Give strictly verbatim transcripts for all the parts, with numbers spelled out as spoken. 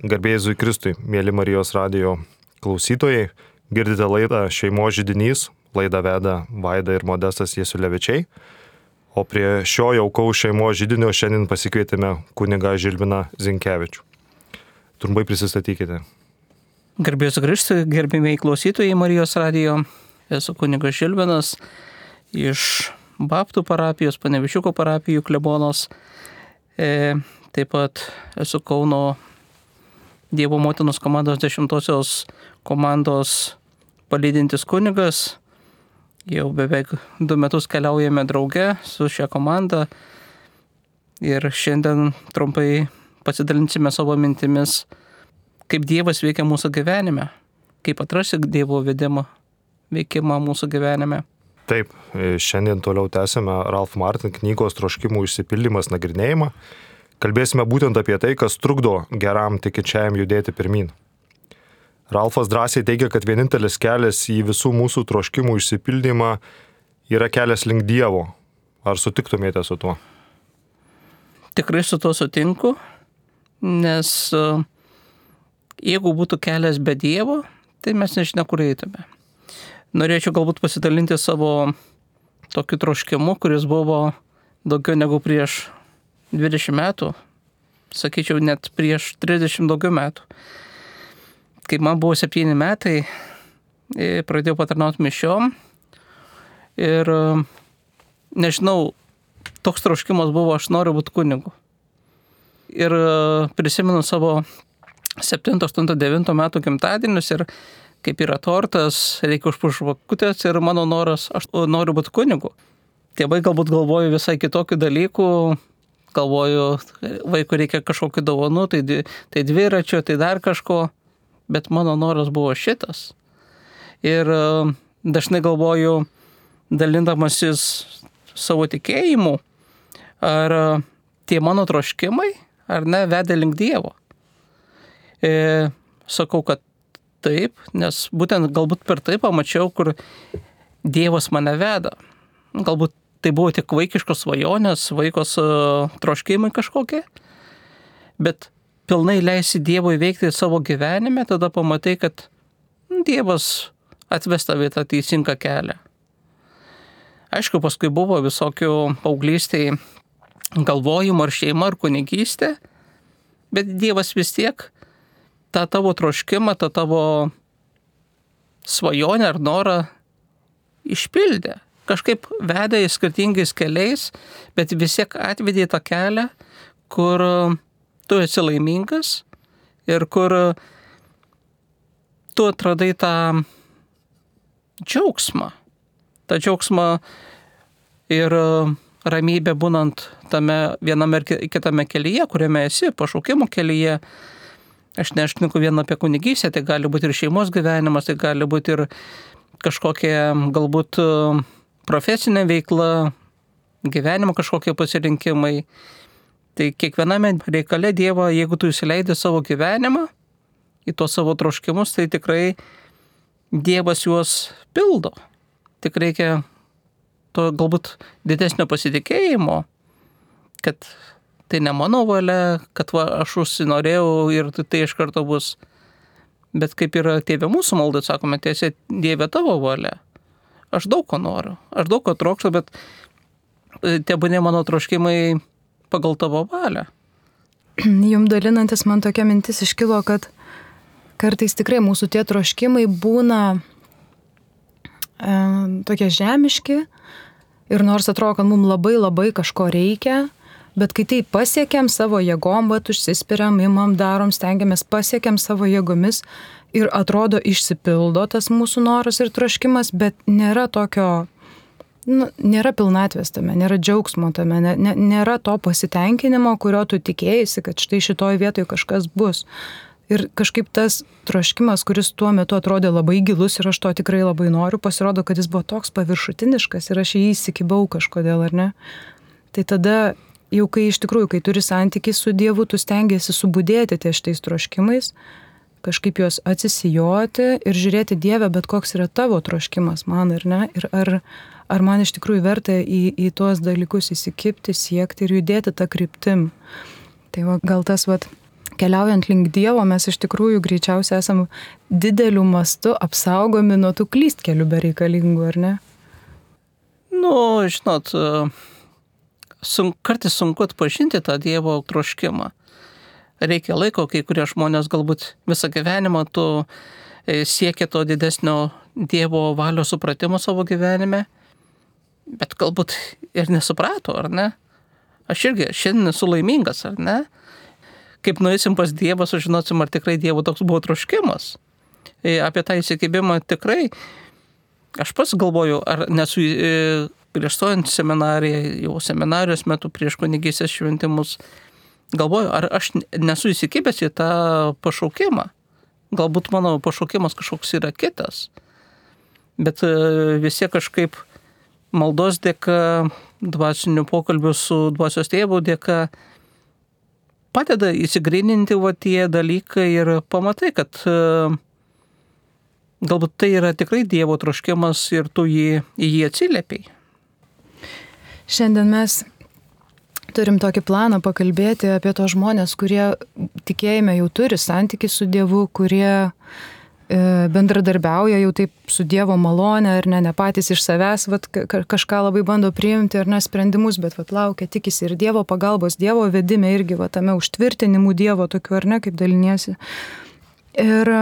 Garbė Jėzui Kristui, mėly Marijos radijo klausytojai, girdite laidą Šeimos židinys, laidą veda Vaida ir Modestas Jasiulevičiai, o prie šio jaukaus šeimos židinio šiandien pasikvietėme kunigą Žilviną Zinkevičių. Trumpai prisistatykite. Garbė Jėzui Kristui, gerbėmiai klausytojai Marijos radijo, esu kunigas Žilvinas iš Baptų parapijos, Panevičiuko parapijų klebonos, e, taip pat esu Kauno Dievo motinos komandos dešimtosios komandos palydintis kunigas. Jau beveik du metus keliaujame drauge su šia komanda ir šiandien trumpai pasidalinsime savo mintimis, kaip Dievas veikia mūsų gyvenime, kaip atrasti Dievo vedimą, veikimą mūsų gyvenime. Taip, šiandien toliau tęsime Ralph Martin knygos Troškimų išsipildymas nagrinėjimą. Kalbėsime būtent apie tai, kas trukdo geram tikinčiajam judėti pirmyn. Ralfas drąsiai teigia, kad vienintelis kelias į visų mūsų troškimų išsipildymą yra kelias link Dievo. Ar sutiktumėte su tuo? Tikrai su tuo sutinku, nes jeigu būtų kelias be Dievo, tai mes nežinia, kur eitume. Norėčiau galbūt pasidalinti savo tokiu troškimu, kuris buvo daugiau negu prieš dvidešimt metų, sakyčiau, net prieš trisdešimt daugiau metų. Kai man buvo septyni metai, pradėjau patarnauti mišiom ir nežinau, toks troškimas buvo, aš noriu būti kunigu. Ir prisimenu savo septinto, aštunto, devinto metų gimtadienius ir kaip yra tortas, reikia užpušti žvakutės ir mano noras, aš noriu būti kunigu. Tėvai galbūt galvoju visai kitokių dalykų, galvoju, vaikui reikia kažkokių dovanų, tai, tai dviračio, tai dar kažko, bet mano noras buvo šitas. Ir dažnai galvoju, dalindamasis savo tikėjimu, ar tie mano troškimai, ar ne, vedė link Dievo. E, sakau, kad taip, nes būtent galbūt per tai pamačiau, kur Dievas mane veda. Galbūt tai buvo tik vaikiškos svajonės, vaikos uh, troškimai kažkokie, bet pilnai leisi Dievui veikti savo gyvenime, tada pamatai, kad Dievas atves tave tą teisingą kelią. Aišku, paskui buvo visokių paauglystėj galvojimų ar šeima ar kunigystė, bet Dievas vis tiek tą tavo troškimą, tą tavo svajonę ar norą išpildė. Kažkaip vedė į skirtingais keliais, bet vis tiek atvedė tą kelią, kur tu esi laimingas ir kur tu atradai tą džiaugsmą. tą džiaugsmą ir ramybę būnant tame viename ir kitame kelyje, kuriame esi, pašaukimo kelyje. Aš nešneku vien apie kunigystę, tai gali būti ir šeimos gyvenimas, tai gali būti ir kažkokia galbūt profesinė veikla, gyvenimo kažkokie pasirinkimai. Tai kiekviename reikale Dievo, jeigu tu įsileidi savo gyvenimą, į tuos savo troškimus, tai tikrai Dievas juos pildo. Tik reikia to galbūt didesnio pasitikėjimo, kad tai ne mano valia, kad va, aš užsinorėjau ir tai iš karto bus. Bet kaip yra Tėve mūsų maldai, sakome, tiesiai Dieve tavo valia. Aš daug ko noriu, aš daug ko trokštu, bet tebūnie mano troškimai pagal tavo valią. Jums dalinantis man tokia mintis iškilo, kad kartais tikrai mūsų tie troškimai būna e, tokie žemiški ir nors atrodo, kad mums labai labai kažko reikia, bet kai tai pasiekiam savo jėgom, bet užsispiriam, imam, darom, stengiamės, pasiekiam savo jėgomis ir atrodo išsipildo tas mūsų noras ir troškimas, bet nėra tokio, nu, nėra pilnatvės tame, nėra džiaugsmo tame, ne, ne, nėra to pasitenkinimo, kurio tu tikėjai, kad štai šitoj vietoje kažkas bus. Ir kažkaip tas troškimas, kuris tuo metu atrodė labai gilus ir aš to tikrai labai noriu, pasirodo, kad jis buvo toks paviršutiniškas ir aš jį įsikibau kažkodėl, ar ne? Tai tada jau kai iš tikrųjų, kai turi santykį su Dievu, tu stengiasi subudėti ties šitais troškimais, kažkaip juos atsisijoti ir žiūrėti Dieve, bet koks yra tavo troškimas man, ar ne? Ir ar, ar man iš tikrųjų verta į, į tuos dalykus įsikibti, siekti ir judėti tą kryptim. Tai va, gal tas, va, keliaujant link Dievo, mes iš tikrųjų greičiausiai esam dideliu mastu apsaugomi nuo tų klystkelių bereikalingų, ar ne? Nu, žinot, sun, kartais sunku atpažinti tą Dievo troškimą. Reikia laiko, kai kurie žmonės galbūt visą gyvenimą tu siekia to didesnio Dievo valios supratimo savo gyvenime, bet galbūt ir nesuprato, ar ne? Aš irgi šiandien esu laimingas, ar ne? Kaip nueisim pas Dievą, sužinosim, ar tikrai Dievo toks buvo troškimas. Apie tą įsikibimą tikrai, aš pats galvoju, ar nesu prieš stojant seminariją, jau seminarijos metu prieš kunigystės šventimus, galvoju, ar aš nesu įsikibęs į tą pašaukimą. Galbūt mano pašaukimas kažkoks yra kitas. Bet vis tiek kažkaip maldos dėka, dvasinių pokalbių su dvasios tėvu dėka padeda įsigryninti va tie dalykai ir pamatai, kad galbūt tai yra tikrai Dievo troškimas ir tu jį, į jį atsiliepiai. Šiandien mes turim tokį planą pakalbėti apie tos žmonės, kurie tikėjime jau turi santykį su Dievu, kurie e, bendradarbiauja jau taip su Dievo malone, ar ne, ne patys iš savęs vat, kažką labai bando priimti, ar ne, sprendimus, bet vat, laukia, tikisi ir Dievo pagalbos, Dievo vedime irgi va, tame užtvirtinimų Dievo tokiu, ar ne, kaip daliniesi. Ir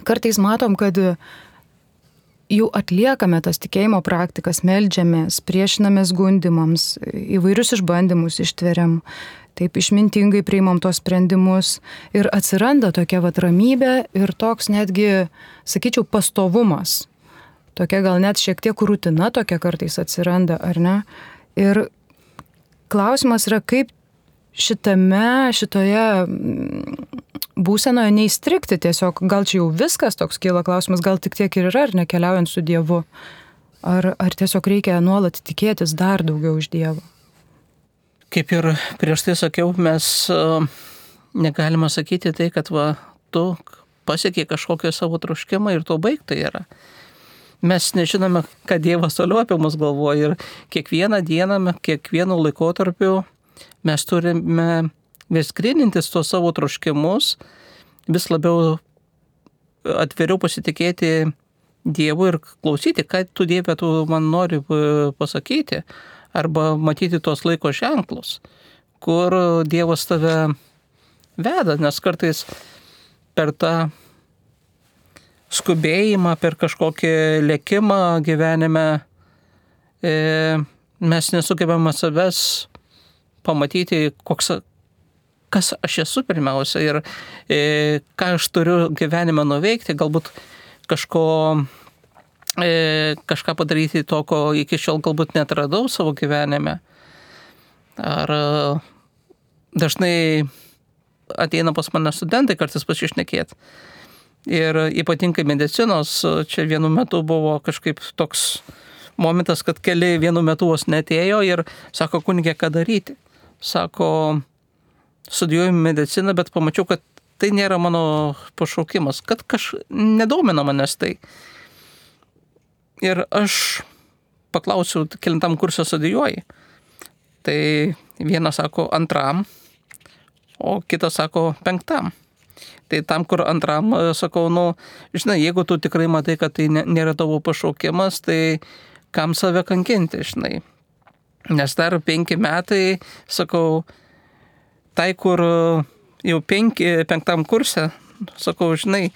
kartais matom, kad jau atliekame tas tikėjimo praktikas, meldžiamės, priešinamės gundimams, įvairius išbandymus ištveriam, taip išmintingai priimam tos sprendimus ir atsiranda tokia vat ramybė ir toks netgi, sakyčiau, pastovumas. Tokia gal net šiek tiek rutina tokia kartais atsiranda, ar ne? Ir klausimas yra, kaip šitame, šitoje būsenoje neįstrikti tiesiog, gal čia jau viskas toks kyla klausimas, gal tik tiek ir yra, ar nekeliaujant su Dievu, ar, ar tiesiog reikia nuolat tikėtis dar daugiau iš Dievo. Kaip ir prieš tai sakiau, mes uh, negalime sakyti tai, kad va, tu pasiekiai kažkokią savo troškimą ir to baigta yra. Mes nežinome, ką Dievas toliau apie mus galvoja ir kiekvieną dieną, kiekvienu laikotarpiu mes turime vis grynintis tuos savo troškimus, vis labiau atviriau pasitikėti Dievu ir klausyti, ką tu Dieve tu man nori pasakyti, arba matyti tuos laiko ženklus, kur Dievas tave veda, nes kartais per tą skubėjimą, per kažkokį lėkimą gyvenime e, mes nesugebame savęs pamatyti, koks kas aš esu pirmiausia ir e, ką aš turiu gyvenime nuveikti, galbūt kažko, e, kažką padaryti to, ko iki šiol galbūt netradau savo gyvenime. Ar dažnai ateina pas mane studentai kartais pasišnekėti. Ir ypatingai medicinos, čia vienu metu buvo kažkaip toks momentas, kad keli vienu metu vos netėjo ir sako, kunige, ką daryti. Sako, studijuoju mediciną, bet pamačiau, kad tai nėra mano pašaukimas, kad kaž nedomina manęs tai. Ir aš paklausiau, kelintam kursą studijuoji. Tai vienas sako antram, o kitas sako penktam. Tai tam, kur antram, sakau, nu, žinai, jeigu tu tikrai matai, kad tai nėra tavo pašaukimas, tai kam save kankinti, žinai. Nes dar penki metai, sakau, tai, kur jau penki, penktam kurse, sakau, žinai,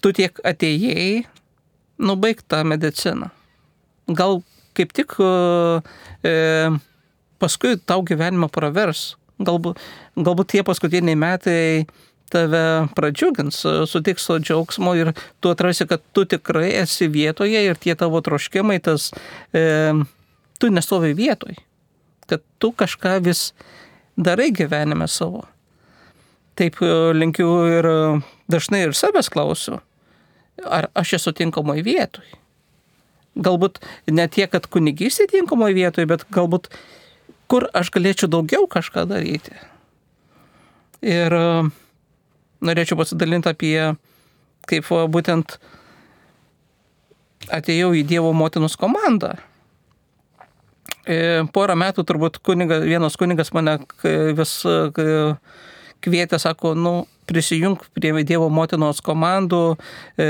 tu tiek atėjai, nubaig tą mediciną. Gal kaip tik e, paskui tau gyvenimą pravers. Galbūt, galbūt tie paskutiniai metai tave pradžiugins, sutiks to džiaugsmo ir tu atrasi, kad tu tikrai esi vietoje ir tie tavo troškimai, tas, e, tu nestovi vietoj. Kad tu kažką vis darai gyvenime savo. Taip linkiu ir dažnai ir savęs klausiu, ar aš esu tinkamoj vietoj. Galbūt ne tiek, kad kunigystė tinkamoj vietoj, bet galbūt kur aš galėčiau daugiau kažką daryti. Ir norėčiau pasidalinti apie, kaip būtent atėjau į Dievo motinos komandą. Porą metų turbūt kunigas, vienas kunigas mane vis kvietė, sako, nu, prisijunk prie Dievo motinos komandų. E,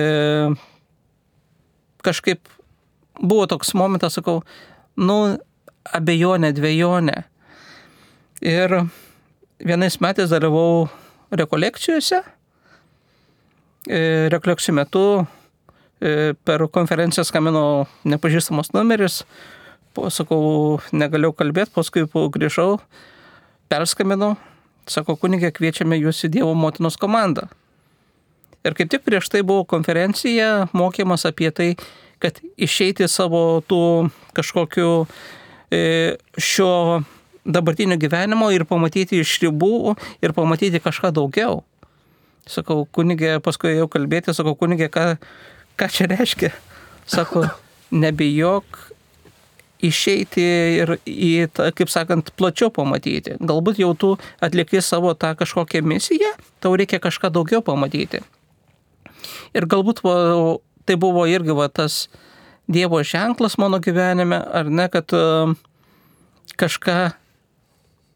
kažkaip buvo toks momentas, sakau, nu, abejonė, dvejonė. Ir vienais metais dalyvau rekolekcijose. E, rekolekcijų metu e, per konferenciją skambino nepažįstamas numeris. Po, sakau, negalėjau kalbėti, paskui grįžau, perskambinau. Sako, kunigė, kviečiame jūs į Dievo motinos komandą. Ir kaip tik prieš tai buvo konferencija, mokymas apie tai, kad išeiti savo tų kažkokių e, šio dabartinio gyvenimo ir pamatyti iš ribų ir pamatyti kažką daugiau. Sakau, kunigė, paskui jau kalbėti, sakau, kunigė, ką, ką čia reiškia? Sako, nebijok išeiti ir į, tą, kaip sakant, plačiau pamatyti. Galbūt jau tu atlikai savo tą kažkokią misiją, tau reikia kažką daugiau pamatyti. Ir galbūt va, tai buvo irgi va, tas Dievo ženklas mano gyvenime, ar ne, kad uh, kažką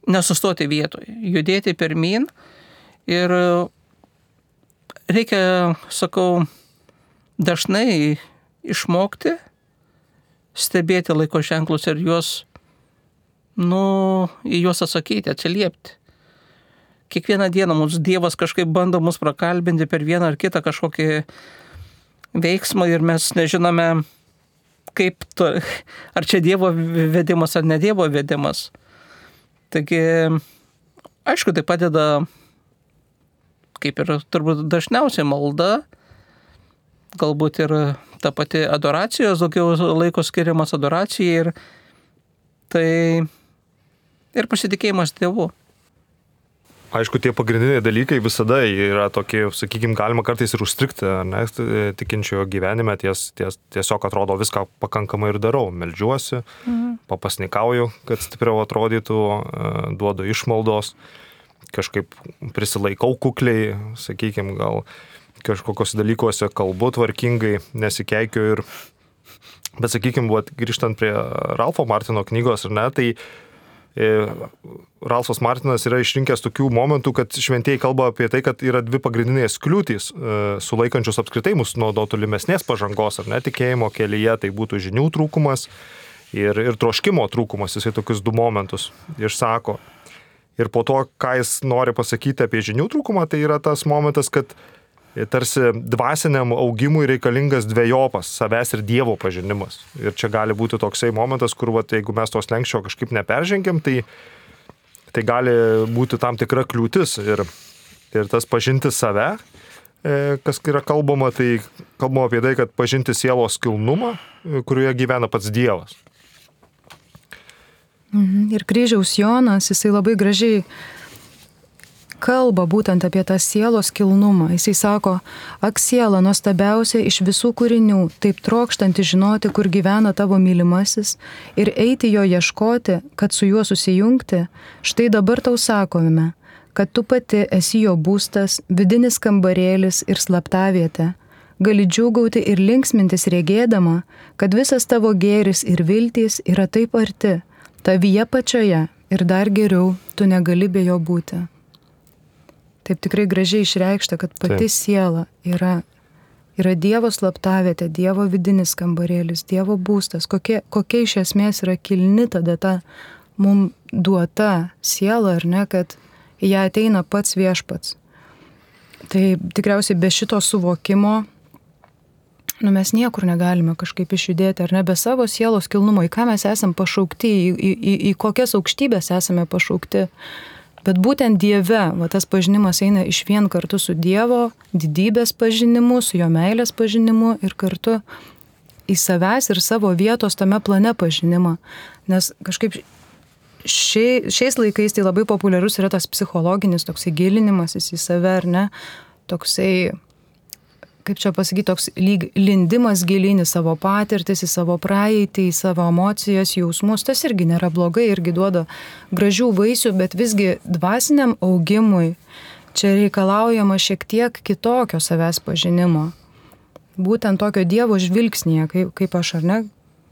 nesustoti vietoje, judėti pirmyn. Ir uh, reikia, sakau, dažnai išmokti stebėti laiko ženklus ir juos, nu, į juos atsakyti, atsiliepti. Kiekvieną dieną mums Dievas kažkaip bando mus prakalbinti per vieną ar kitą kažkokį veiksmą ir mes nežinome, kaip to, ar čia Dievo vedimas ar ne Dievo vedimas. Taigi, aišku, tai padeda, kaip ir turbūt dažniausiai malda, galbūt ir ta pati adoracijos, daugiau laiko skiriamas adoracijai ir tai ir pasitikėjimas Dievu. Aišku, tie pagrindiniai dalykai visada yra tokie, sakykime, galima kartais ir užstrikti, ne, tikinčiojo gyvenime, ties, ties, tiesiog atrodo viską pakankamai ir darau, meldžiuosi, mhm. papasnikauju, kad stipriau atrodytų, duodu išmaldos, kažkaip prisilaikau kukliai, sakykime, gal kažkokios dalykuose kalbu tvarkingai, nesikeikiu ir, bet sakykime, grįžtant prie Ralfo Martino knygos, ar ne, tai Ralfas Martinas yra išrinkęs tokių momentų, kad šventieji kalba apie tai, kad yra dvi pagrindinės kliūtys sulaikančios apskritai mus nuo tolimesnės pažangos, ar ne, tikėjimo kelyje, tai būtų žinių trūkumas ir, ir troškimo trūkumas, jisai tokius du momentus išsako. Ir po to, ką jis nori pasakyti apie žinių trūkumą, tai yra tas momentas, kad tarsi dvasiniam augimui reikalingas dvejopas savęs ir Dievo pažinimas. Ir čia gali būti toksai momentas, kur, vat, jeigu mes tos lenkščio kažkaip neperžengiam, tai, tai gali būti tam tikra kliūtis. Ir, ir tas pažinti save, kas yra kalbama, tai kalbama apie tai, kad pažinti sielos kilnumą, kurioje gyvena pats Dievas. Ir kryžiaus Jonas, jisai labai gražiai kalba būtent apie tą sielos kilnumą. Jisai sako, ak siela nuostabiausia iš visų kūrinių, taip trokštanti žinoti, kur gyvena tavo mylimasis ir eiti jo ieškoti, kad su juo susijungti, štai dabar tau sakome, kad tu pati esi jo būstas, vidinis kambarėlis ir slaptavietė. Gali džiūgauti ir linksmintis regėdama, kad visas tavo gėris ir viltys yra taip arti, tavyje pačioje ir dar geriau tu negali be jo būti. Taip tikrai gražiai išreikšta, kad pati Taip. Siela yra, yra Dievo slaptavietė, Dievo vidinis kambarėlis, Dievo būstas. Kokia, kokia iš esmės yra kilni tada ta mums duota siela, ar ne, kad į ją ateina pats viešpats. Tai tikriausiai be šito suvokimo, nu, mes niekur negalime kažkaip išjudėti, ar ne, be savo sielos kilnumo, į ką mes esame pašaukti, į, į, į, į kokias aukštybės esame pašaukti. Bet būtent Dieve, va, tas pažinimas eina iš vien kartu su Dievo didybės pažinimu, su jo meilės pažinimu ir kartu į savęs ir savo vietos tame plane pažinimą. Nes kažkaip šia, šiais laikais tai labai populiarus yra tas psichologinis toksai gilinimasis į save, ar ne? Toksai, kaip čia pasakyti, toks lyg lindimas gilin į savo patirtis, į savo praeitį, į savo emocijas, jausmus. Tas irgi nėra blogai, irgi duoda gražių vaisių, bet visgi dvasiniam augimui čia reikalaujama šiek tiek kitokio savęs pažinimo. Būtent tokio Dievo žvilgsnėje, kaip, kaip aš, ar ne,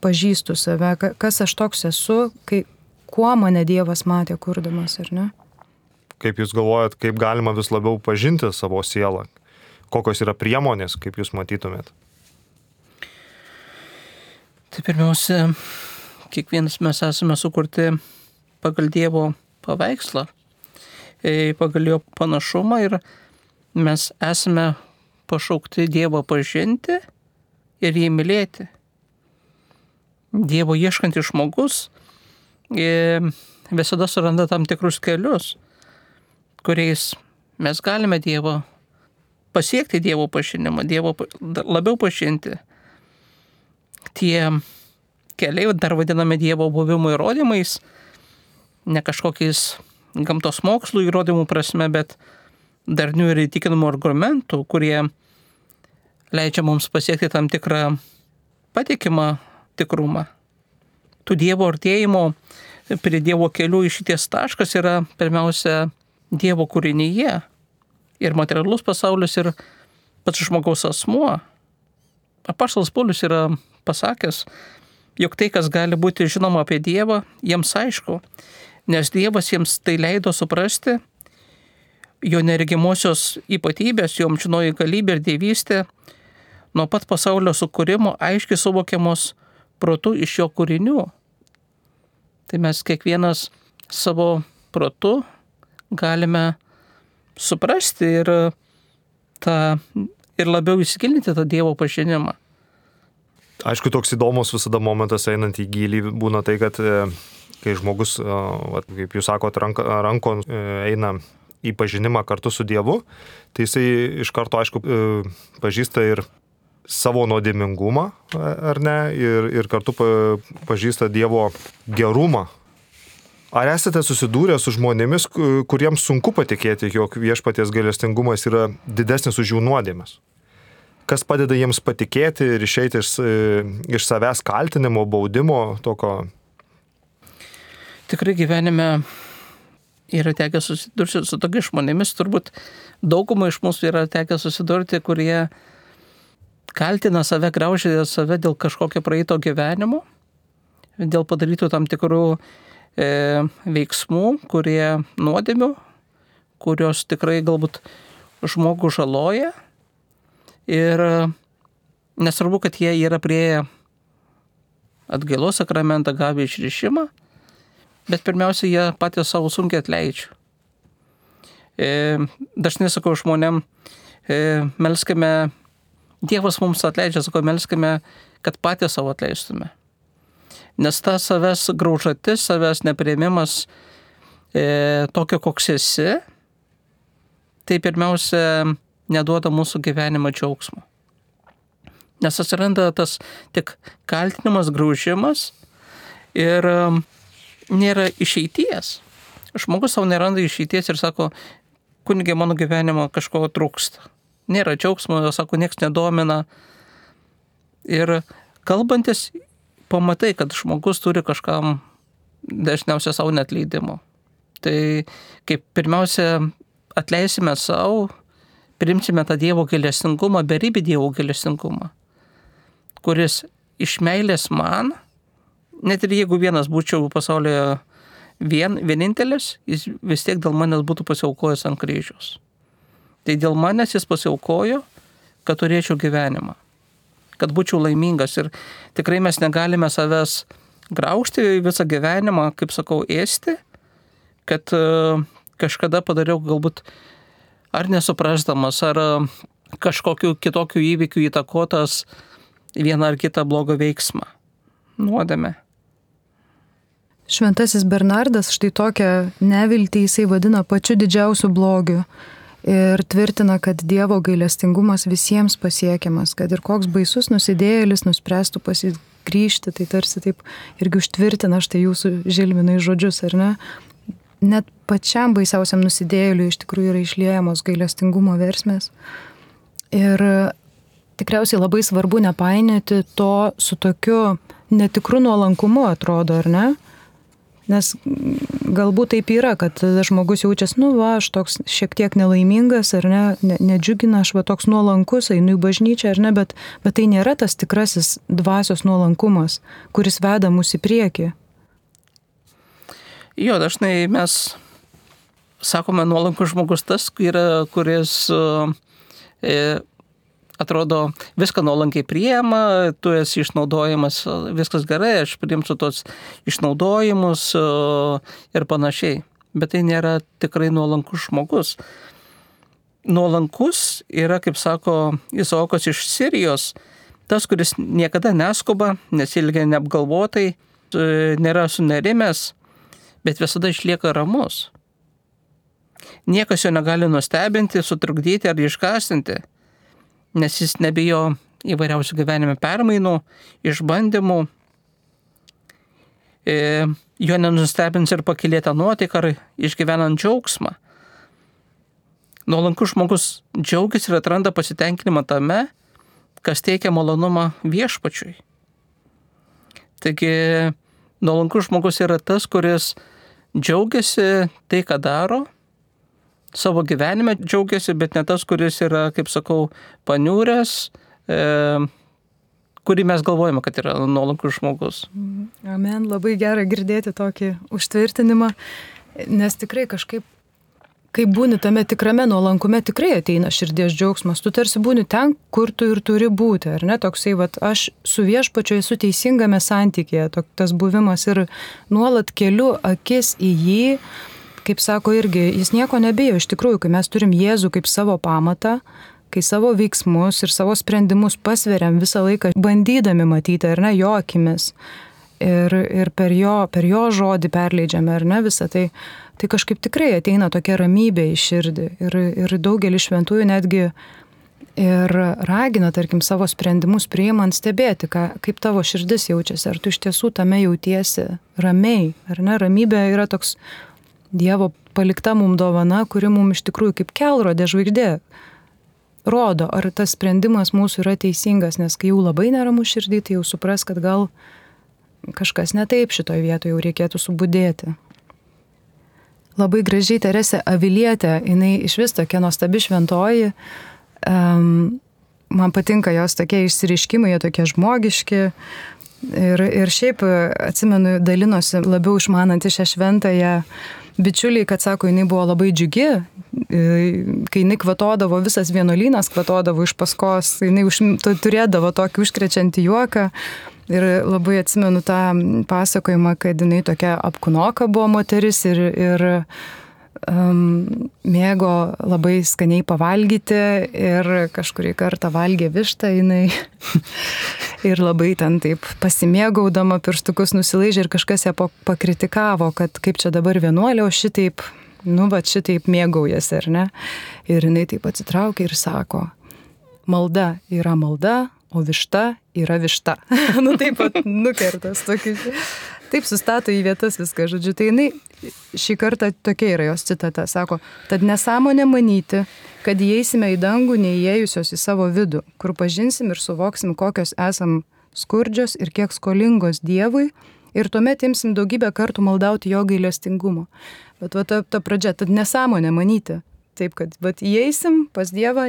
pažįstu save, kas aš toks esu, kai, kuo mane Dievas matė kurdamas, ar ne? kaip jūs galvojat, kaip galima vis labiau pažinti savo sielą? Kokios yra priemonės, kaip jūs matytumėt? Tai pirmiausia, kiekvienas mes esame sukurti pagal Dievo paveikslą, pagal jo panašumą ir mes esame pašaukti Dievą pažinti ir jį mylėti. Dievo ieškantis žmogus visada suranda tam tikrus kelius, kuriais mes galime Dievo pasiekti Dievo pažinimą, Dievo labiau pažinti. Tie keliai dar vadiname Dievo buvimo įrodymais, ne kažkokiais gamtos mokslų įrodymų prasme, bet darnių ir įtikinamų argumentų, kurie leidžia mums pasiekti tam tikrą patikimą tikrumą. Tų Dievo artėjimo prie Dievo kelių išeities taškas yra pirmiausia Dievo kūrinyje. Ir materialus pasaulis, ir pats žmogaus asmuo. Apaštalas Paulius yra pasakęs, jog tai, kas gali būti žinoma apie Dievą, jiems aišku, nes Dievas jiems tai leido suprasti, jo neregimosios ypatybės, jo amžinoji galybė ir dievystė, nuo pat pasaulio sukūrimo aiškiai suvokiamos protu iš jo kūrinių. Tai mes kiekvienas savo protu galime suprasti ir, tą, ir labiau įsigilinti tą Dievo pažinimą. Aišku, toks įdomus visada momentas einant į gilį būna tai, kad kai žmogus, kaip jūs sakot, rankon eina į pažinimą kartu su Dievu, tai jisai iš karto, aišku, pažįsta ir savo nuodėmingumą, ar ne, ir, ir kartu pažįsta Dievo gerumą. Ar esate susidūrę su žmonėmis, kuriems sunku patikėti, jog viešpaties gailestingumas yra didesnis už jų nuodėmes? Kas padeda jiems patikėti ir išeiti iš, iš savęs kaltinimo, baudimo, tokio? Tikrai gyvenime yra tekę susidurti su tokiais žmonėmis, turbūt daugumai iš mūsų yra tekę susidurti, kurie kaltina save, graužia save dėl kažkokio praeito gyvenimo, dėl padarytų tam tikrų e, veiksmų, kurie nuodėmių, kurios tikrai galbūt žmogų žaloja. Ir nesvarbu, kad jie yra prieėję atgailos sakramentą, gavę išrišimą, bet pirmiausia, jie patys savo sunkiai atleidžia. E, dažnai sakau žmonėm, e, melskime, Dievas mums atleidžia, sakau, melskime, kad patys savo atleistume. Nes ta savęs graužatis, savęs nepriėmimas e, tokio, koks esi, tai pirmiausia, neduoda mūsų gyvenimo džiaugsmo. Nes atsiranda tas tik kaltinimas, graužimas ir nėra išeities. Žmogus savo neranda išeities ir sako, kunige, mano gyvenimo kažko trūksta. Nėra džiaugsmo, sako, nieks nedomina. Ir kalbantis, pamatai, kad žmogus turi kažkam dažniausiai savo neatleidimo. Tai kaip pirmiausia atleisime savo, priimsime tą Dievo gailestingumą, beribį Dievo gailestingumą, kuris iš meilės man, net ir jeigu vienas būčiau pasaulyje vien, vienintelis, jis vis tiek dėl manęs būtų pasiaukojęs ant kryžiaus. Tai dėl manęs jis pasiaukojo, kad turėčiau gyvenimą, kad būčiau laimingas. Ir tikrai mes negalime savęs graužti visą gyvenimą, kaip sakau, ėsti, kad kažkada padariau galbūt ar nesuprasdamas, ar kažkokiu kitokiu įvykiu įtakotas vieną ar kitą blogą veiksmą, nuodėmę. Šventasis Bernardas štai tokią neviltį jisai vadina pačiu didžiausiu blogiu ir tvirtina, kad Dievo gailestingumas visiems pasiekiamas, kad ir koks baisus nusidėjėlis nuspręstų pasigrįžti, tai tarsi taip irgi užtvirtina štai jūsų Žilvinai žodžius, ar ne? Net pačiam baisiausiam nusidėjėliui iš tikrųjų yra išliejamos gailestingumo versmės. Ir tikriausiai labai svarbu nepainioti to su tokiu netikru nuolankumu, atrodo, ar ne? Nes galbūt taip yra, kad žmogus jaučiasi, nu va, aš toks šiek tiek nelaimingas, ar ne, ne nedžiugina, aš va toks nuolankus, einu į bažnyčią, ar ne, bet, bet tai nėra tas tikrasis dvasios nuolankumas, kuris veda mus į priekį. Jo, dažnai mes sakome, nuolankus žmogus tas, yra, kuris e, atrodo viską nuolankiai priema, tu esi išnaudojimas, viskas gerai, aš priimsiu tos išnaudojimus e, ir panašiai. Bet tai nėra tikrai nuolankus žmogus. Nuolankus yra, kaip sako Izaokas iš Sirijos, tas, kuris niekada neskuba, nesilgia neapgalvotai, nėra sunerimęs, bet visada išlieka ramus. Niekas jo negali nustebinti, sutrukdyti ar išgąsdinti, nes jis nebijo įvairiausių gyvenime permainų, išbandymų. E, jo nenustebins ir pakilėta nuotaika ar išgyvenant džiaugsmą. Nuolankus žmogus džiaugiasi ir atranda pasitenkinimą tame, kas teikia malonumą viešpačiui. Taigi, nuolankus žmogus yra tas, kuris džiaugiasi tai, ką daro, savo gyvenime džiaugiasi, bet ne tas, kuris yra, kaip sakau, paniūręs, e, kurį mes galvojame, kad yra nuolankus žmogus. Amen, labai gera girdėti tokį užtvirtinimą, nes tikrai kažkaip, kai būni tame tikrame nuolankume, tikrai ateina širdies džiaugsmas. Tu tarsi būni ten, kur tu ir turi būti, ar ne? Toksai, vat, aš su viešpačiu esu teisingame santykėje, tok, tas buvimas ir nuolat keliu akis į jį, kaip sako irgi, jis nieko nebijo. Iš tikrųjų, kai mes turim Jėzų kaip savo pamatą, kai savo veiksmus ir savo sprendimus pasveriam visą laiką, bandydami matyti, ar ne, jo akimis, ir, ir per, jo, per jo žodį perleidžiame, ar ne, visą tai, tai kažkaip tikrai ateina tokia ramybė į širdį. Ir, ir daugelis šventųjų netgi ir ragina, tarkim, savo sprendimus priimant stebėti, ką, kaip tavo širdis jaučiasi, ar tu iš tiesų tame jautiesi ramiai, ar ne, ramybė yra toks Dievo palikta mum dovana, kuri mum iš tikrųjų kaip kelrodė žvaigždė rodo, ar tas sprendimas mūsų yra teisingas, nes kai jau labai neramu širdį, tai jau supras, kad gal kažkas ne taip šitoj vietoje, jau reikėtų subudėti. Labai gražiai Teresė Avilietė, jinai iš vis tokia nuostabi šventoji, um, man patinka jos tokie išsireiškimai, jie tokie žmogiški. Ir, ir šiaip atsimenu, dalinosi labiau išmananti šią šventąją bičiuliai, kad sako, jinai buvo labai džiugi, kai jinai kvatodavo, visas vienuolynas kvatodavo iš paskos, jinai už, turėdavo tokį užkrečiantį juoką. Ir labai atsimenu tą pasakojimą, kad jinai tokia apkūnoka buvo moteris ir, ir um, mėgo labai skaniai pavalgyti ir kažkurį kartą valgė vištą jinai ir labai ten taip pasimėgaudama pirštukus nusilaižė ir kažkas ją pakritikavo, kad kaip čia dabar vienuolė, o šitaip, nu va šitaip mėgaujasi, ar ne? Ir jinai taip atsitraukė ir sako, malda yra malda, o višta yra višta. Nu taip pat nukertas tokį. Taip sustato į vietas viską, žodžiu. Tai jinai šį kartą tokia yra jos citata. Sako, tad nesąmonė manyti, kad įeisime į dangų neįėjusios į savo vidų, kur pažinsim ir suvoksim, kokios esam skurdžios ir kiek skolingos Dievui, ir tuomet imsim daugybę kartų maldauti jo gailestingumo. Bet va ta, ta pradžia, tad nesąmonė manyti. Taip, kad vat, įeisim pas Dievą,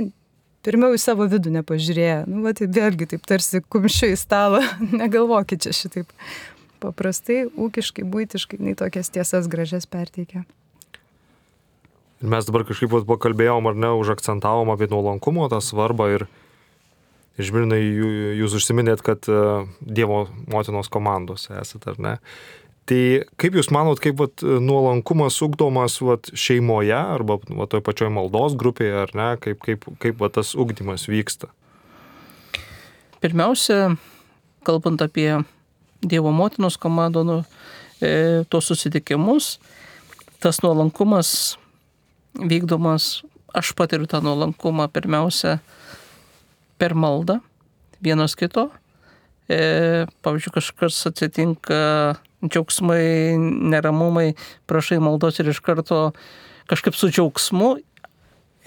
pirmiau į savo vidų nepažiūrėję. Nu, va, tai vėlgi taip tarsi kumščiu į stalą. Negalvokit čia šitaip. Paprastai, ūkiškai, buitiškai, nei tokias tiesas gražias perteikia. Ir mes dabar kažkaip pakalbėjom, ar ne, užakcentavom apie nuolankumo tą svarbą ir išmirnai jūs užsiminėt, kad Dievo motinos komandos esate, ar ne? Tai kaip jūs manot, kaip vat, nuolankumas ugdomas vat, šeimoje arba vat, toj pačioj maldos grupėje, ar ne, kaip, kaip, kaip vat, tas ugdymas vyksta? Pirmiausia, kalbant apie Dievo motinos komandą, nu, e, tos susitikimus, tas nuolankumas vykdomas, aš patiriu tą nuolankumą pirmiausia per maldą vienas kito. E, pavyzdžiui, kažkas atsitinka, džiaugsmai, neramumai, prašai maldos ir iš karto kažkaip su džiaugsmu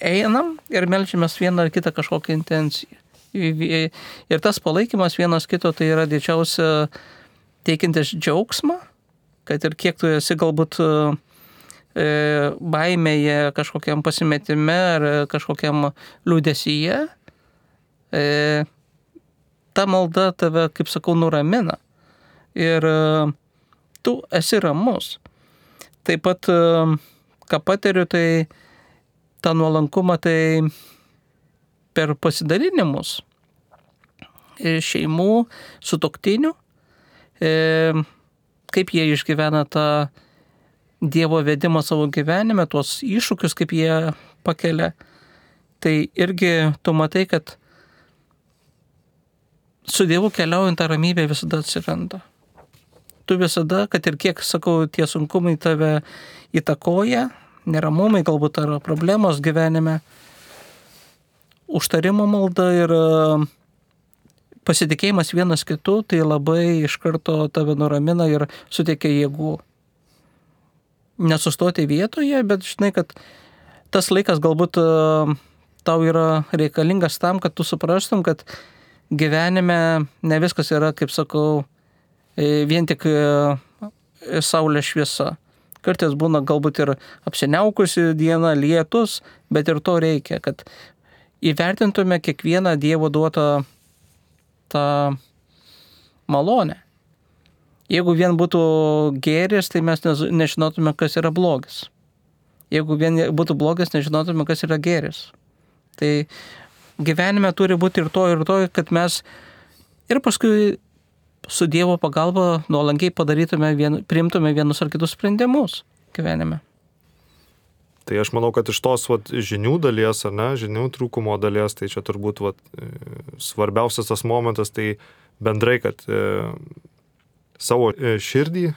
einam ir melčiamės vieną ar kitą kažkokią intenciją. Ir tas palaikymas vienas kito tai yra didžiausia teikintis džiaugsmą, kad ir kiek tu esi galbūt e, baimėje, kažkokiam pasimetime ar kažkokiam liūdesyje, e, ta malda tave, kaip sakau, nuramina. Ir tu esi ramus. Taip pat, ką patiriu, tai tą nuolankumą tai per pasidalinimus šeimų, sutuoktinių, kaip jie išgyvena tą Dievo vedimą savo gyvenime, tuos iššūkius, kaip jie pakelia. Tai irgi tu matai, kad su Dievu keliaujant tą ramybę visada atsiranda. Tu visada, kad ir kiek, sakau, tie sunkumai tave įtakoja, neramumai, galbūt ar problemos gyvenime, užtarimo malda ir pasitikėjimas vienas kitu, tai labai iš karto tave nuramina ir suteikia jėgų. Nesustoti vietoje, bet žinai, kad tas laikas galbūt tau yra reikalingas tam, kad tu suprastum, kad gyvenime ne viskas yra, kaip sakau, vien tik saulės šviesa. Kartais būna galbūt ir apsiniaukusi diena, lietus, bet ir to reikia, kad įvertintume kiekvieną Dievo duotą tą malonę. Jeigu vien būtų gėris, tai mes nežinotume, kas yra blogis. Jeigu vien būtų blogis, nežinotume, kas yra gėris. Tai gyvenime turi būti ir to, ir to, kad mes ir paskui su Dievo pagalba nuolankiai padarytume, vien, priimtume vienus ar kitus sprendimus gyvenime. Tai aš manau, kad iš tos vat, žinių dalies, ar ne, žinių trūkumo dalies, tai čia turbūt vat, svarbiausias tas momentas, tai bendrai, kad e, savo širdį e,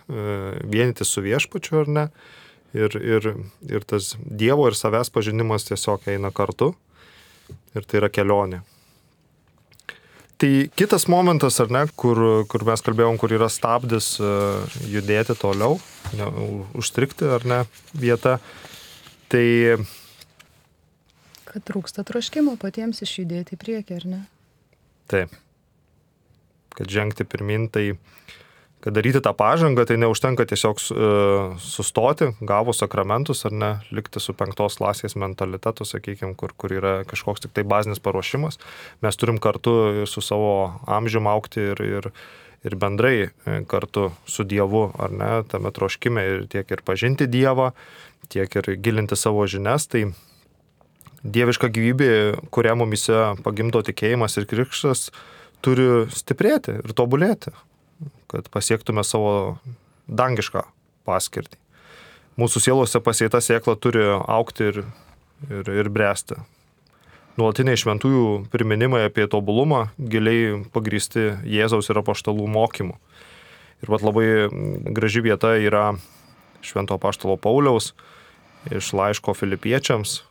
vienyti su viešpačiu, ar ne, ir, ir, ir tas Dievo ir savęs pažinimas tiesiog eina kartu, ir tai yra kelionė. Tai kitas momentas, ar ne, kur, kur mes kalbėjom, kur yra stabdis e, judėti toliau, ne, užstrikti, ar ne, vieta, tai... Kad trūksta troškimo patiems išjudėti į priekį, ar ne? Taip. Kad žengti pirmin, tai kad daryti tą pažangą, tai neužtenka tiesiog uh, sustoti, gavus sakramentus, ar ne, likti su penktos klasės mentalitetu, sakykime, kur, kur yra kažkoks tik tai bazinis paruošimas. Mes turim kartu ir su savo amžium augti ir, ir, ir bendrai kartu su Dievu, ar ne, tame troškime ir tiek ir pažinti Dievą, tiek ir gilinti savo žinias, tai dieviška gyvybė, kurią mumise pagimdo tikėjimas ir krikštas, turi stiprėti ir tobulėti, kad pasiektume savo dangišką paskirtį. Mūsų sielose pasėta sėkla turi augti ir, ir, ir bręsti. Nuolatiniai šventųjų priminimai apie tobulumą giliai pagrįsti Jėzaus ir apaštalų mokymu. Ir vat labai graži vieta yra švento apaštalo Pauliaus iš laiško Filipiečiams.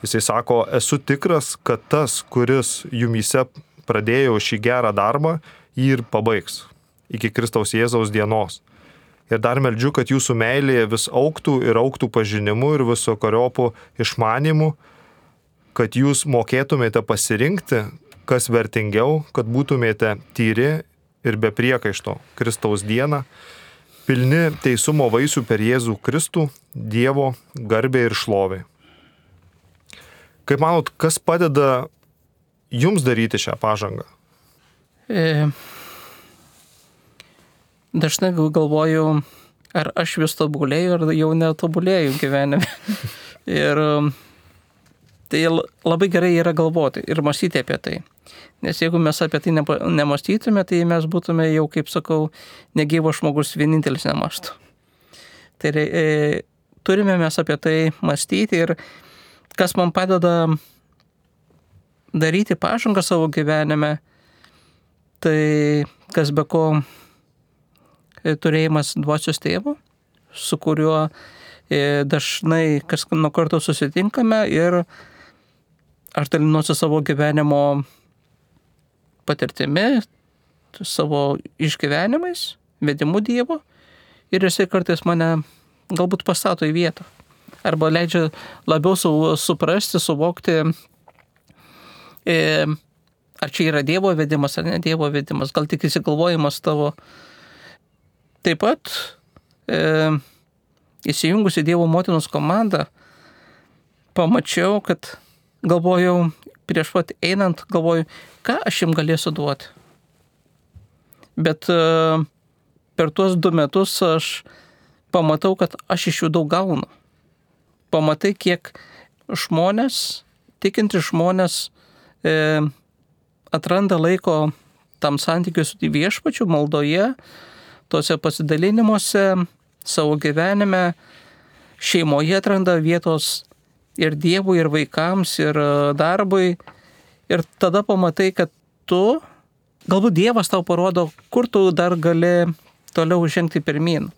Jisai sako, esu tikras, kad tas, kuris jumyse pradėjo šį gerą darbą, jį ir pabaigs iki Kristaus Jėzaus dienos. Ir dar meldžiu, kad jūsų meilėje vis augtų ir augtų pažinimu ir visokariopų išmanimu, kad jūs mokėtumėte pasirinkti, kas vertingiau, kad būtumėte tyri ir be priekaišto Kristaus dieną, pilni teisumo vaisių per Jėzų Kristų, Dievo garbė ir šlovė. Kaip manot, kas padeda jums daryti šią pažangą? E, dažnai galvoju, ar aš vis tobulėju, ar jau netobulėju gyvenime. Ir tai labai gerai yra galvoti ir mąstyti apie tai. Nes jeigu mes apie tai nemąstytume, tai mes būtume jau, kaip sakau, negyvas žmogus vienintelis nemąstų. Tai e, turime mes apie tai mąstyti ir kas man padeda daryti pažangą savo gyvenime, tai kas be ko turėjimas dvasios tėvo, su kuriuo dažnai kas nuo karto susitinkame ir aš dalinuosi savo gyvenimo patirtimi, savo išgyvenimais, vedimu Dievo ir jisai kartais mane galbūt pastato į vietą. Arba leidžia labiau su, suprasti, suvokti, e, ar čia yra Dievo vedimas, ar ne Dievo vedimas, gal tik įsigalvojimas tavo. Taip pat, e, įsijungus į Dievo motinos komandą, pamačiau, kad galvojau, prieš pat einant, galvoju, ką aš jums galėsiu duoti. Bet e, per tuos du metus aš pamatau, kad aš iš jų daug gaunu. pamatai, kiek žmonės, tikinti žmonės e, atranda laiko tam santykiui su viešpačiu, maldoje, tose pasidalinimuose, savo gyvenime, šeimoje atranda vietos ir Dievui, ir vaikams, ir darbui. Ir tada pamatai, kad tu, galbūt Dievas tau parodo, kur tu dar gali toliau žengti pirmyn.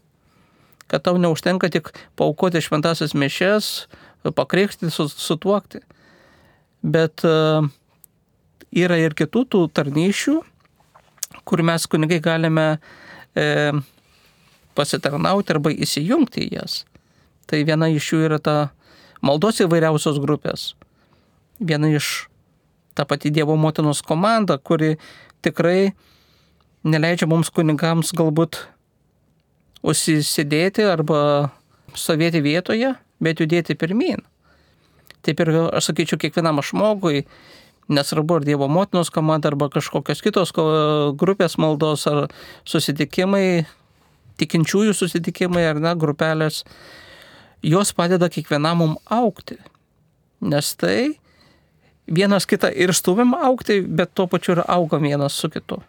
Kad tau neužtenka tik paaukoti šventasias mišias, pakrikštyti, sutuokti. Bet uh, yra ir kitų tų tarnyšių, kur mes kunigai galime e, pasitarnauti arba įsijungti į jas. Tai viena iš jų yra ta maldos įvairiausios grupės. Viena iš ta pati Dievo motinos komanda, kuri tikrai neleidžia mums kunigams galbūt užsisėdėti arba stovėti vietoje, bet judėti pirmyn. Taip ir aš sakyčiau kiekvienam žmogui, nesvarbu ar Dievo motinos komanda arba kažkokios kitos grupės maldos ar susitikimai, tikinčiųjų susitikimai ar ne, grupelės, jos padeda kiekvienam mum augti. Nes tai vienas kitą ir stūmim augti, bet tuo pačiu ir augam vienas su kitu.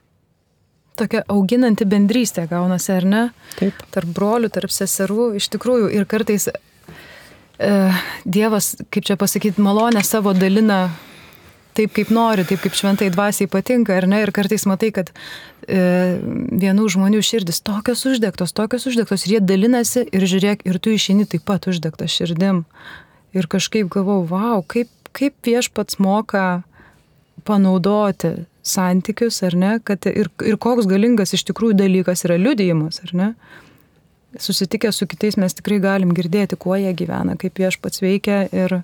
Tokia auginanti bendrystė gaunasi, ar ne? Taip. Tarp brolių, tarp seserų, iš tikrųjų. Ir kartais e, Dievas, kaip čia pasakyti, malonę savo dalina taip, kaip nori, taip, kaip šventai dvasiai patinka, ar ne? Ir kartais matai, kad e, vienų žmonių širdis tokios uždegtos, tokios uždegtos, ir jie dalinasi ir žiūrėk, ir tu išeini taip pat uždegtas širdim. Ir kažkaip galvau, vau, kaip, kaip viešpats moka panaudoti santykius, ar ne? Kad ir, ir koks galingas iš tikrųjų dalykas yra liudijimas, ar ne? Susitikę su kitais mes tikrai galim girdėti, kuo jie gyvena, kaip viešpats veikia ir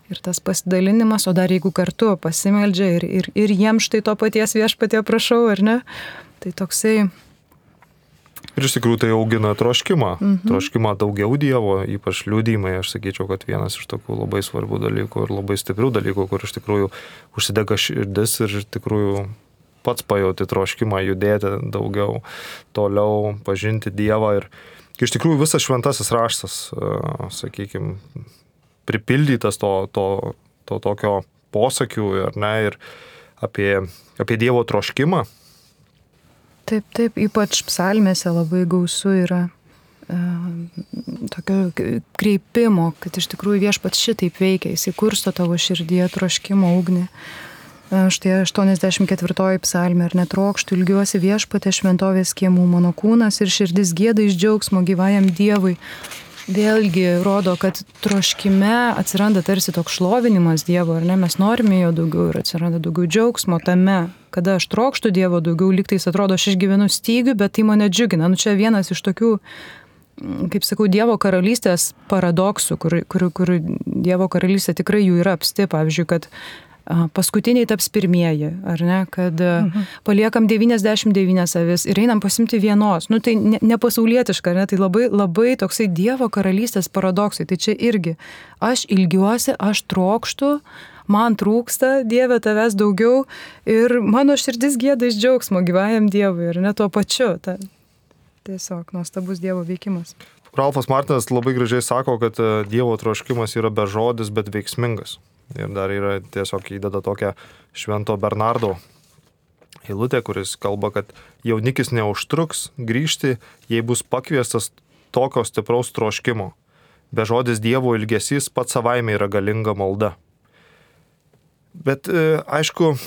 Ir tas pasidalinimas, o dar jeigu kartu pasimeldžia ir, ir, ir jiems štai to paties viešpatie prašau, ar ne? Tai toksai... Ir iš tikrųjų tai augina troškimą. Mhm. Troškimą daugiau Dievo, ypač liudijimai. Aš sakyčiau, kad vienas iš tokių labai svarbių dalykų ir labai stiprių dalykų, kur iš tikrųjų užsidega širdis ir iš tikrųjų pats pajauti troškimą judėti daugiau, toliau pažinti Dievą. Ir iš tikrųjų visas šventasis raštas, sakykime, pripildytas to, to, to tokio posakių, ar ne, ir apie, apie Dievo troškimą. Taip, taip, ypač psalmėse labai gausu yra e, tokio kreipimo, kad iš tikrųjų viešpats šitaip veikia, jis įkursto tavo širdyje troškimo ugnį. E, štai aštuoniasdešimt ketvirtoji psalmė, ar netrokštų, ilgiuosi viešpatė šventovės kiemų, mano kūnas ir širdis gieda iš džiaugsmo gyvajam Dievui. Vėlgi rodo, kad troškime atsiranda tarsi toks šlovinimas Dievo, ar ne, mes norime jo daugiau ir atsiranda daugiau džiaugsmo tame, kada aš trokštų Dievo daugiau, lygtais atrodo, aš išgyvenu stygių, bet tai mane džiugina. Nu čia vienas iš tokių, kaip sakau, Dievo karalystės paradoksų, kur, kur, kur Dievo karalystė tikrai jų yra apsti, pavyzdžiui, kad paskutiniai taps pirmieji, ar ne, kad mhm. paliekam devyniasdešimt devynias avis ir einam pasimti vienos. Nu tai ne, nepasaulietiška, ne, tai labai, labai toksai Dievo karalystės paradoksai. Tai čia irgi, aš ilgiuosi, aš trokštu, man trūksta, Dieve tavęs daugiau ir mano širdis gieda iš džiaugsmo gyvajam Dievui, ar ne, tuo pačiu. Ta, tiesiog nuostabus Dievo veikimas. Ralfas Martinas labai gražiai sako, kad Dievo troškimas yra bežodis, bet veiksmingas. Ir dar yra tiesiog įdeda tokią Švento Bernardo eilutę, kuris kalba, kad jaunikis neužtruks grįžti, jei bus pakviestas tokio stipraus troškimo. Bežodis Dievo ilgesys pats savaime yra galinga malda. Bet aišku,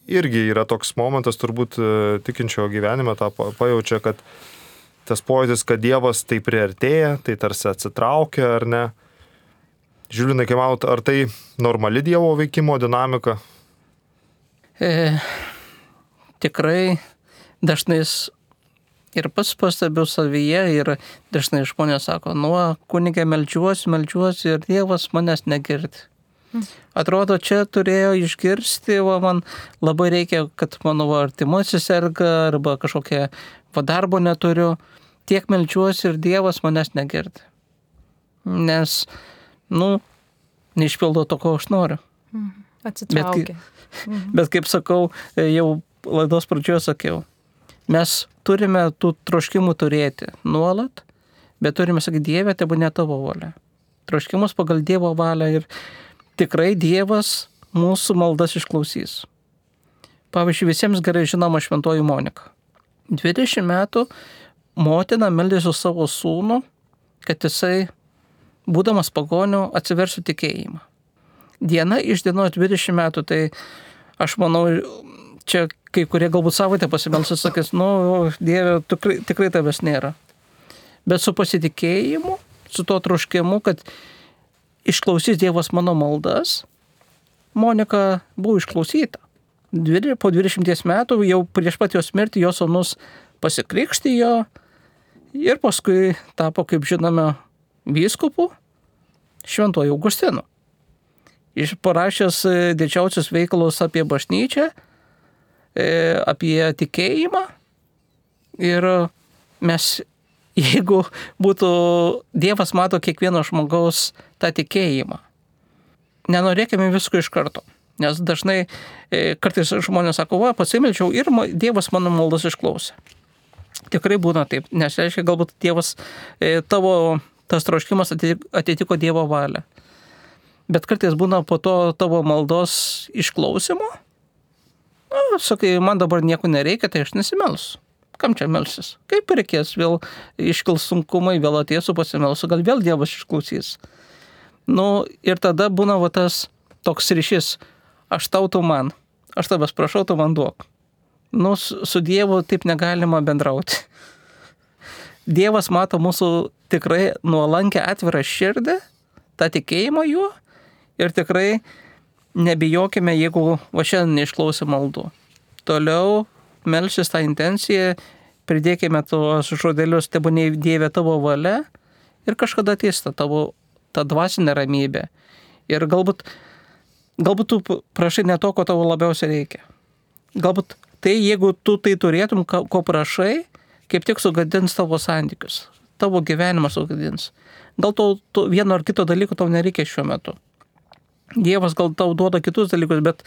irgi yra toks momentas, turbūt tikinčio gyvenime tą pajaučia, kad tas pojūtis, kad Dievas tai priartėja, tai tarsi atsitraukia ar ne. Žiūrinai, kaip manot, ar tai normali Dievo veikimo dinamika? E, tikrai dažnai ir pats pastebiu savyje ir dažnai žmonės sako, nu, kunige meldžiuosi, meldžiuosi ir Dievas manęs negirdi. Atrodo, čia turėjo išgirsti, va, man labai reikia, kad mano artimasis serga arba kažkokia va, darbo neturiu. Tiek meldžiuosi ir Dievas manęs negirdi. Nes nu, neišpildo to, ko aš noriu. Atsitraukia. Bet, mhm. bet kaip sakau, jau laidos pradžioje sakiau, mes turime tų troškimų turėti nuolat, bet turime sakyti, Dieve, tebu ne tavo valia. troškimus pagal Dievo valią ir tikrai Dievas mūsų maldas išklausys. Pavyzdžiui, visiems gerai žinoma šventoji Monika. dvidešimt metų motina meldėsi su savo sūnų, kad jisai, būdamas pagoniu, atsiversiu tikėjimą. Diena iš dienos dvidešimt metų, tai aš manau, čia kai kurie galbūt savaitę pasimelsis, sakys, nu, Dieve, tikrai, tikrai tavęs nėra. Bet su pasitikėjimu, su to troškimu, kad išklausys Dievas mano maldas, Monika buvo išklausyta. Po dvidešimties metų, jau prieš pat jos mirtį, jos sūnus pasikrikštijo ir paskui tapo, kaip žinome, vyskupu šventuoju Augustinu. Iš parašęs didžiausius veikalus apie bažnyčią, apie tikėjimą ir mes, jeigu būtų Dievas mato kiekvieno žmogaus tą tikėjimą, nenorėkime visko iš karto. Nes dažnai e, kartais žmonės sako, va, pasimeldžiau ir Dievas mano maldas išklausė. Tikrai būna taip, nes reiškia, galbūt Dievas, e, tavo tas troškimas atitiko, atitiko Dievo valią. Bet kartais būna po to tavo maldos išklausimo, na, sakai, man dabar nieko nereikia, tai aš nesimelsiu. Kam čia melsis? Kaip reikės, vėl iškils sunkumai, vėl ateisiu pasimelsiu, gal vėl Dievas išklausys. Nu, ir tada būna va tas toks ryšys, aš tau, tu man, aš tavęs prašau, tu man duok. Nu, su Dievu taip negalima bendrauti. Dievas mato mūsų tikrai nuolankę atvirą širdį, tą tikėjimą juo ir tikrai nebijokime, jeigu va šiandien neišklausė maldų. Toliau melsis tą intenciją, pridėkime tuos žodelius, tebūnie Dieve tavo valia ir kažkada ateis ta tavo ta dvasinė ramybė. Ir galbūt, galbūt tu prašai ne to, ko tavo labiausiai reikia. Galbūt tai, jeigu tu tai turėtum, ko prašai, kaip tik sugadins tavo santykius. Tavo gyvenimą sugadins. Gal to, to vieno ar kito dalyko tau nereikia šiuo metu. Dievas gal tau duoda kitus dalykus, bet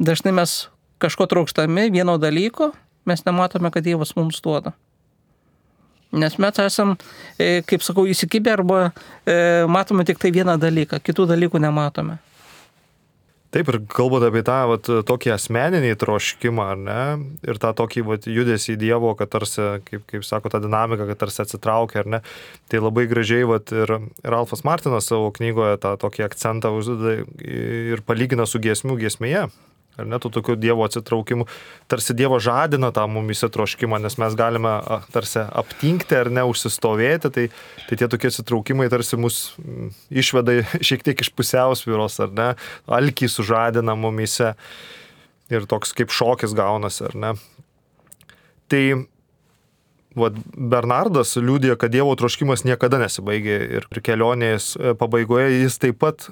dažnai mes kažko trokštami, vieno dalyko, mes nematome, kad Dievas mums duoda. Nes mes esam, kaip sakau, įsikibę arba e, matome tik tai vieną dalyką, kitų dalykų nematome. Taip, ir kalbant apie tą vat, tokį asmeninį troškimą, ar ne, ir tą tokį vat, judesį į Dievo, kad tarsi, kaip, kaip sako, tą dinamiką, kad tarsi atsitraukia, ar ne, tai labai gražiai vat, ir Ralfas Martinas savo knygoje tą tokį akcentą uždeda ir palygina su giesmių giesmėje. Ar ne, tų tokių Dievo atsitraukimų, tarsi Dievo žadina tą mumise troškimą, nes mes galime tarsi aptinkti ar ne, užsistovėti, tai, tai tie tokie atsitraukimai tarsi mus išveda šiek tiek iš pusiausvyros, ar ne, alkį sužadina mumise ir toks kaip šokis gaunasi, ar ne. Tai vat, Bernardas liudija, kad Dievo troškimas niekada nesibaigė ir kelionės pabaigoje jis taip pat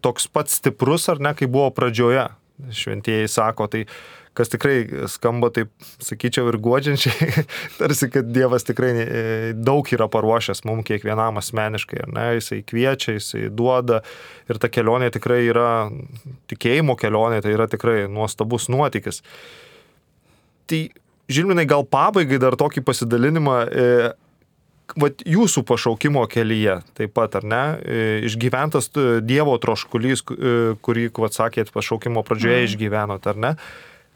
toks pat stiprus, ar ne, kaip buvo pradžioje. Šventieji sako, tai kas tikrai skamba taip, sakyčiau, ir guodžiančiai, tarsi, kad Dievas tikrai daug yra paruošęs mums kiekvienam asmeniškai, ar ne, jisai kviečia, jisai duoda ir ta kelionė tikrai yra, tikėjimo kelionė, tai yra tikrai nuostabus nuotykis. Tai, Žilvinai, gal pabaigai dar tokį pasidalinimą, e, vat jūsų pašaukimo kelyje taip pat, ar ne, išgyventas Dievo troškulys, kurį, vat sakėt, pašaukimo pradžioje išgyvenot, ar ne?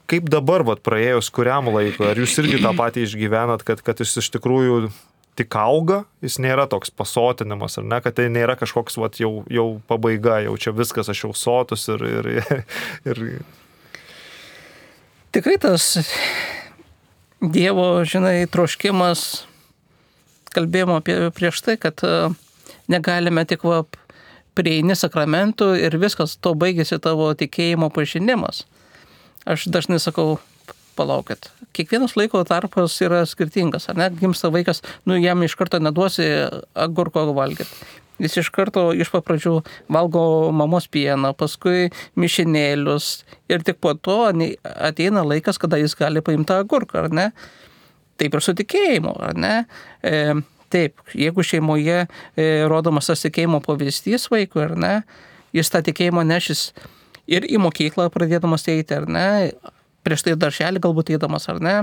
Kaip dabar, vat praėjus kuriam laikui, ar jūs irgi tą patį išgyvenat, kad, kad jis iš tikrųjų tik auga, jis nėra toks pasotinimas, ar ne, kad tai nėra kažkoks, vat jau, jau pabaiga, jau čia viskas, aš jau sotus ir... ir, ir... Tikrai tas Dievo, žinai, troškimas, kalbėjome apie prieš tai, kad negalime tik va, prieini sakramentų ir viskas, to baigėsi tavo tikėjimo pažinimas. Aš dažnai sakau, palaukit, kiekvienas laiko tarpas yra skirtingas, ar ne, gimsta vaikas, nu jam iš karto neduosi agurko valgyti. Jis iš karto iš papradžių valgo mamos pieną, paskui mišinėlius ir tik po to ateina laikas, kada jis gali paimti agurką, ar ne? Taip ir su tikėjimu, ar ne? E, taip, jeigu šeimoje e, rodomas tas tikėjimo pavyzdys vaikui, ar ne, jis tą tikėjimą nešis ir į mokyklą pradėdamas eiti, ar ne, prieš tai darželį galbūt eidamas, ar ne,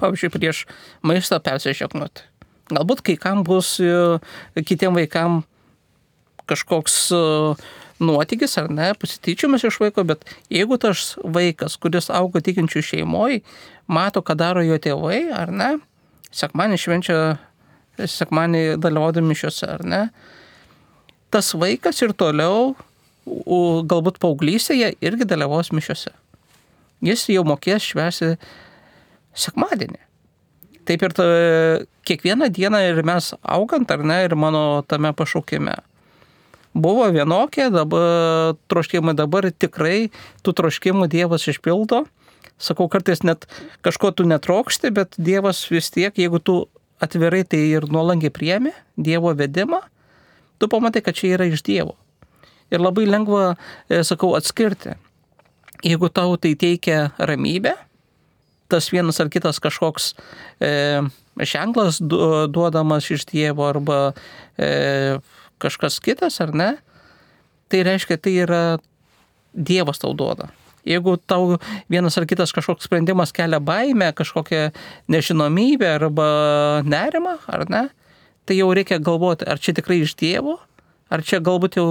pavyzdžiui, prieš maistą persižegnoti. Galbūt kai kam bus, kitiem vaikam kažkoks nuotykis ar ne, pasityčiamas iš vaiko, bet jeigu tas vaikas, kuris auga tikinčių šeimoje, mato, ką daro jo tėvai, ar ne, sekmanį švenčia, sekmanį dalyvaudami mišiose, ar ne, tas vaikas ir toliau, galbūt paauglystėje, irgi dalyvaus mišiose. Jis jau mokės švęsti sekmadienį. Taip ir ta, kiekvieną dieną ir mes augant, ar ne, ir mano tame pašaukime. Buvo vienokie, dabar troškimai, dabar tikrai tų troškimų Dievas išpildo. Sakau, kartais net kažko tu netrokšti, bet Dievas vis tiek, jeigu tu atvirai tai ir nuolankiai priemi Dievo vedimą, tu pamatai, kad čia yra iš Dievo. Ir labai lengva, sakau, atskirti. Jeigu tau tai teikia ramybę, tas vienas ar kitas kažkoks e, ženklas duodamas iš Dievo arba e, kažkas kitas, ar ne, tai reiškia, tai yra Dievas tau duoda. Jeigu tau vienas ar kitas kažkoks sprendimas kelia baimę, kažkokią nežinomybę arba nerimą, ar ne, tai jau reikia galvoti, ar čia tikrai iš Dievo, ar čia galbūt jau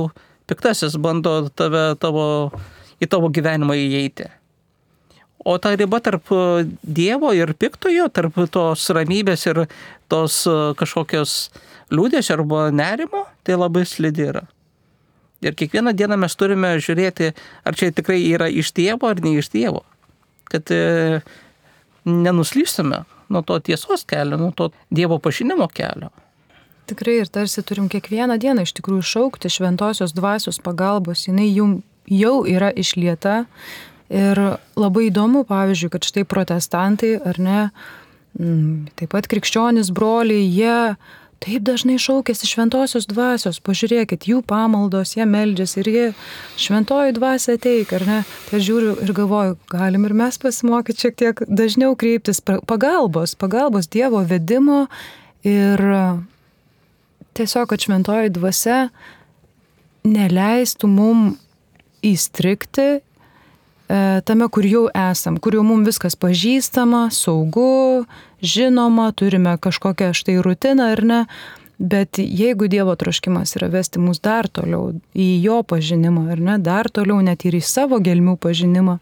piktasis bando tave, tavo, į tavo gyvenimą įeiti. O ta riba tarp Dievo ir piktojo, tarp tos ramybės ir tos kažkokios liūdesio arba nerimo, tai labai slidi yra. Ir kiekvieną dieną mes turime žiūrėti, ar čia tikrai yra iš Dievo ar ne iš Dievo. Kad e, nenuslystume nuo to tiesos kelio, nuo to Dievo pažinimo kelio. Tikrai ir tarsi turim kiekvieną dieną iš tikrųjų šaukti šventosios dvasios pagalbos, jinai jum jau yra išlieta. Ir labai įdomu, pavyzdžiui, kad štai protestantai, ar ne, taip pat krikščionys broliai, jie taip dažnai šaukėsi šventosios dvasios, pažiūrėkit, jų pamaldos, jie meldžiasi ir jie šventoji dvasia ateik, ar ne, tai aš žiūriu ir galvoju, galim ir mes pasimokyti šiek tiek dažniau kreiptis pagalbos, pagalbos Dievo vedimo ir tiesiog, kad šventoji dvasia neleistų mum įstrigti tame, kur jau esam, kur jau mums viskas pažįstama, saugu, žinoma, turime kažkokią štai rutiną ar ne, bet jeigu Dievo troškimas yra vesti mus dar toliau į jo pažinimą ar ne, dar toliau net ir į savo gelmių pažinimą,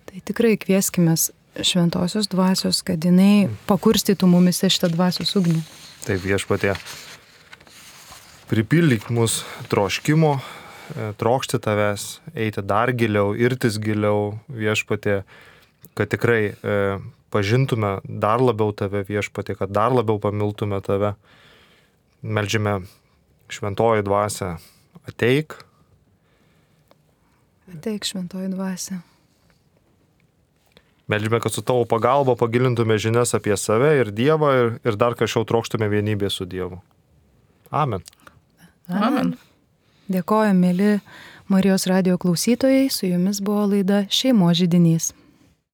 tai tikrai kvieskimės šventosios dvasios, kad jinai pakurstytų mumise šitą dvasios ugnį. Taip, Viešpatie, pripildyk mus troškimo, trokšti tavęs, eiti dar giliau, irtis giliau, Viešpatie, kad tikrai e, pažintume dar labiau tave, Viešpatie, kad dar labiau pamiltume tave. Meldžiame šventoji dvasia, ateik. Ateik šventoji dvasia. Meldžiame, kad su tavo pagalba pagilintume žinias apie save ir Dievą ir, ir dar kažkiau trokštume vienybę su Dievu. Amen. Amen. Amen. Dėkojame, mėly Marijos radijo klausytojai, su jumis buvo laida Šeimos židinys.